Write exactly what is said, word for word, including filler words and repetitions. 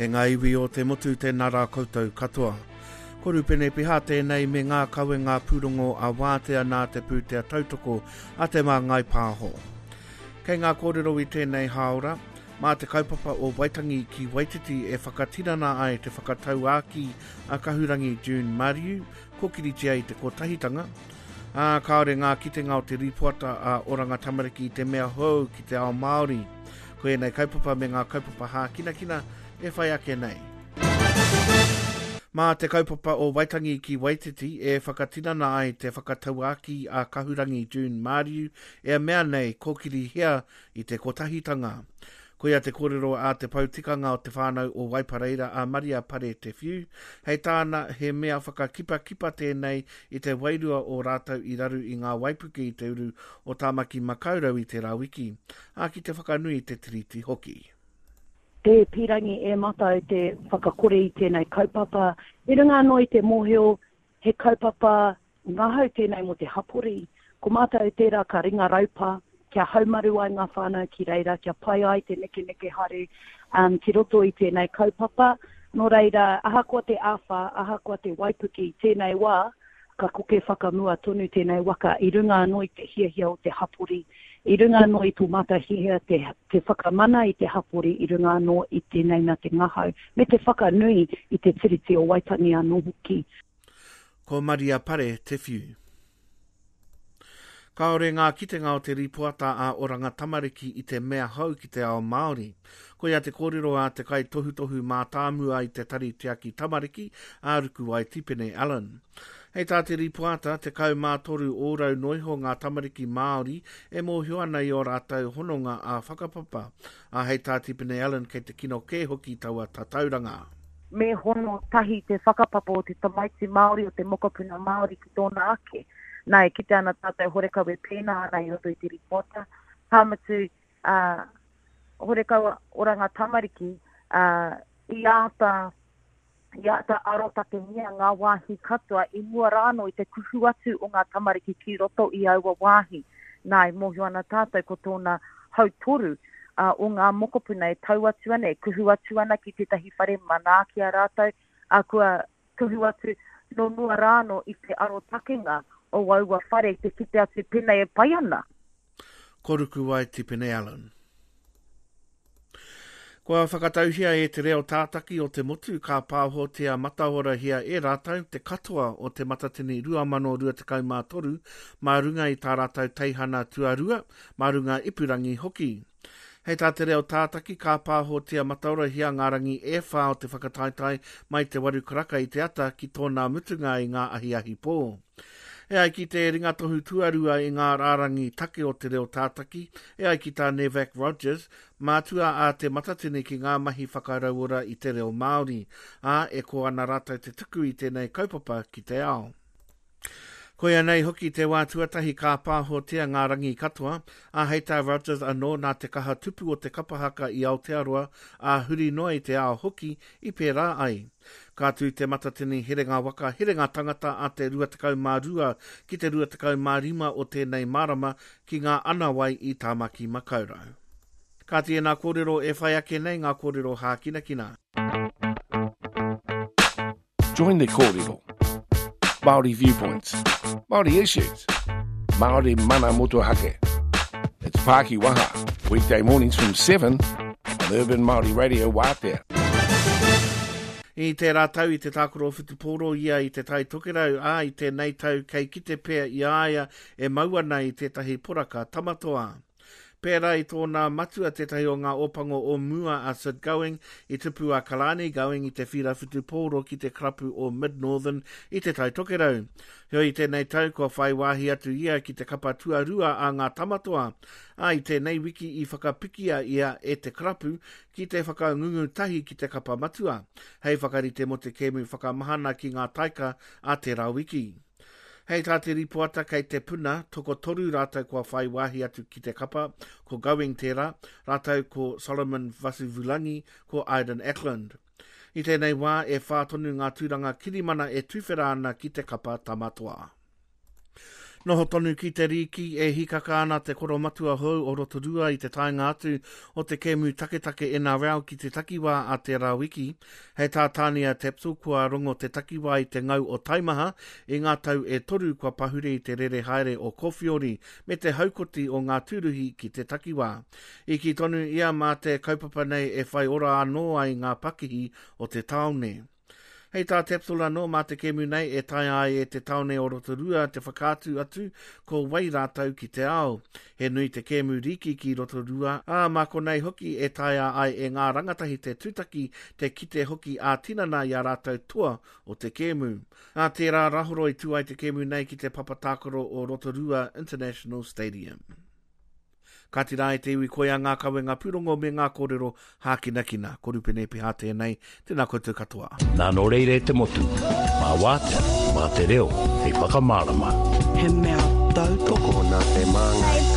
E ngā iwi o te motu, tēnā rā koutou katoa. Ko Rupene Piha tēnei me ngā kawenga pūrongo a Wātea nā te pūtea tautoko a Te Māngai Pāho. Kei ngā kōrero i tēnei hāora, mā te kaupapa o Waitangi ki Waititi e whakatinana ai te whakatauākī a Kahurangi June Mariu, kōkiritia i te kotahitanga, ā, kāore ngā kitenga o te rīpoata a Oranga Tamariki i te mea hou ki te ao Māori. Ko ēnei kaupapa me ngā kaupapa hākinakina e whai ake nei. Mā te kaupapa o Waitangi ki Waititi e whakatinana ai te whakatauākī a Kahurangi June Mariu e mea nei kōkirihia i te kotahitanga. Koia te kōrero a te poutikanga o te whānau o Waipareira a Maria Pare Te Whiu. Hei tāna, he mea whakakipakipa tēnei i te wairua o rātou i raru i ngā waipuke i te uru o Tāmaki Makaurau i tērā wiki, ā, ki te whakanui i te Tiriti hoki. Te pīrangi e mātou te whakakore i tēnei kaupapa. I runga anō i te mōhio he kaupapa ngahau tēnei mō te hapori. Ko mātou tērā ka ringa raupa kia haumaru ai ngā whānau ki reira, kia pai ai te nekeneke haere um, ki roto i tēnei kaupapa. Nō reira, ahakoa te āwhā, ahakoa te waipuke i tēnei wā, ka koke whakamua tonu tēnei waka i runga anō i te hiahia o te hapori, i runga anō i tō mātou hiahia te, te whakamana i te hapori, i runga anō i tēnei mea te ngahau, me te whakanui i te Tiriti o Waitangi anō hoki. Ko Maria Pare Te Whiu. Kāore ngā kitenga o te rīpoata a Oranga Tamariki i te mea hou ki te ao Māori. Koia te kōrero a te kaitohutohu mātāmua i te Tari Tiaki Tamariki, a Rukuwai Tipene Allen. Hei tā te rīpoata, tekau mā toru ōrau noiho ngā tamariki Māori e mōhio ana i ō rātou hononga ā-whakapapa. Ā, hei tā Tipene Allen kei te kino kē hoki taua tatauranga. Me hono tahi te whakapapa o te tamaiti Māori, o te mokopuna Māori ki tōna ake. Nā, e kite ana tātou horekau e pēnā ana i roto i te rīpoata. Ka mutu, uh, horekau Oranga Tamariki, uh, i āta, i āta arotakengia ngā wāhi katoa i mua rānō i te kuhu atu o ngā tamariki ki roto i aua wāhi. Nā, e mōhio ana tātou ko tōna hautoru uh, o ngā mokopuna e tau atu ana, e kuhu atu ana ki tētahi whare manaaki a rātou, uh, kua kuhu atu nō mua rānō i te arotakenga o aua whare te kite atu pēnei e pai ana. Ko Rukuwai Tipene Allen. Kua whakatauhia e te reo tātaki o te motu ka pāhotia matahorahia e rātou te katoa o te Matatini rua mano rua tekau mā toru mā runga i tā rātou teihana tuarua, mā runga ipurangi hoki. Hei tā te reo tātaki ka pāhotia matahorahia ngā rangi e whā o te whakataetae mai te waru karaka i te ata ki tōna mutunga i ngā ahiahi pō. E ai ki te ringatohu tuarua i ngā rārangi take o te reo tātaki, e ai ki tā Nevak Rogers, mātua a te Matatini ki ngā mahi whakarauora i te reo Māori, ā, e ko ana rātou te tuku i tēnei kaupapa ki te ao. Koia nei hoki te wā tuatahi ka pāhotia ngā rangi katoa, ā, hei tā Rogers anō nā te kaha tupu o te kapahaka i Aotearoa, ā huri noa i te ao hoki i pērā ai. Ka tū te Matatini herenga waka, herenga tangata a te rua tekau mā rua ki te rua tekau mā rima o tēnei marama ki ngā anawai i Tāmaki Makaurau. Ka tēnā kōrero e whai ake nei ngā kōrero hākinakina. Join the kōrero. Māori viewpoints, Māori issues, Māori mana motuhake. It's Pāki Waha, weekday mornings from seven on Urban Māori Radio Wātea. I tērā tau i te tākaro whutupōro ia i te Tai Tokerau, ā, i tēnei tau kei kite pea i a ia e mau ana i tētahi poraka tamatoa. Pērā i tōna matua tētahi o ngā ōpango o mua a Sid Going, i tupu a Kalani Going i te whira whutupōro ki te karapu o Mid-Northern i te Tai Tokerau. Heoi i tēnei tau kua whai wāhi atu ia ki te kapa tuarua a ngā tamatoa, ā, i tēnei wiki i whakapikia ia e te karapu ki te whakangungu tahi ki te kapa matua, hei whakarite mō te kēmu whakamahana ki ngā taika a tērā wiki. Hei tā te rīpoata kei te puna, tokotoru rātou kua whai wāhi atu ki te kapa, ko Going tērā, rātou ko Solomon Vasivulangi, ko Aiden Ackland. I tēnei wā, e whā tonu ngā tūranga kirimana e tuwhera ana ki te kapa tamatoa. Noho tonu ki te rīki e hikaka ana te koromatua hou o Rotorua i te taenga atu o te kēmu taketake N R L ki te takiwā a tērā wiki. Hei tā Tania Tapsell, kua rongo te takiwā i te ngau o taimaha i ngā tau e toru kua pahure i te rere haere o Kowhiori me te haukoti o ngā tūruhi ki te takiwā. I kī tonu ia mā te kaupapa nei e whai ora anō ai ngā pakihi o te taone. Hei tā Tapsell anō, mā te kēmu nei e taea ai e te taone o Rotorua te whakaatu atu ko wai rātou ki te ao. He nui te kēmu rīki ki Rotorua, ā, mā konei hoki e taea ai e ngā rangatahi te tutaki te kite hoki ā-tinana i a rātou toa o te kēmu. Ā tērā Rahoroi tū ai te kēmu nei ki te papa tākaro o Rotorua International Stadium. Kāti rā e te iwi, koia ngā kawenga pūrongo me ngā kōrero hākinakina. Ko Rupene Piha tēnei, tēnā koutou katoa. Nā nō reira e te motu, mā wātea, mā te reo, hei whakamārama. He mea tautoko Nā te māngai.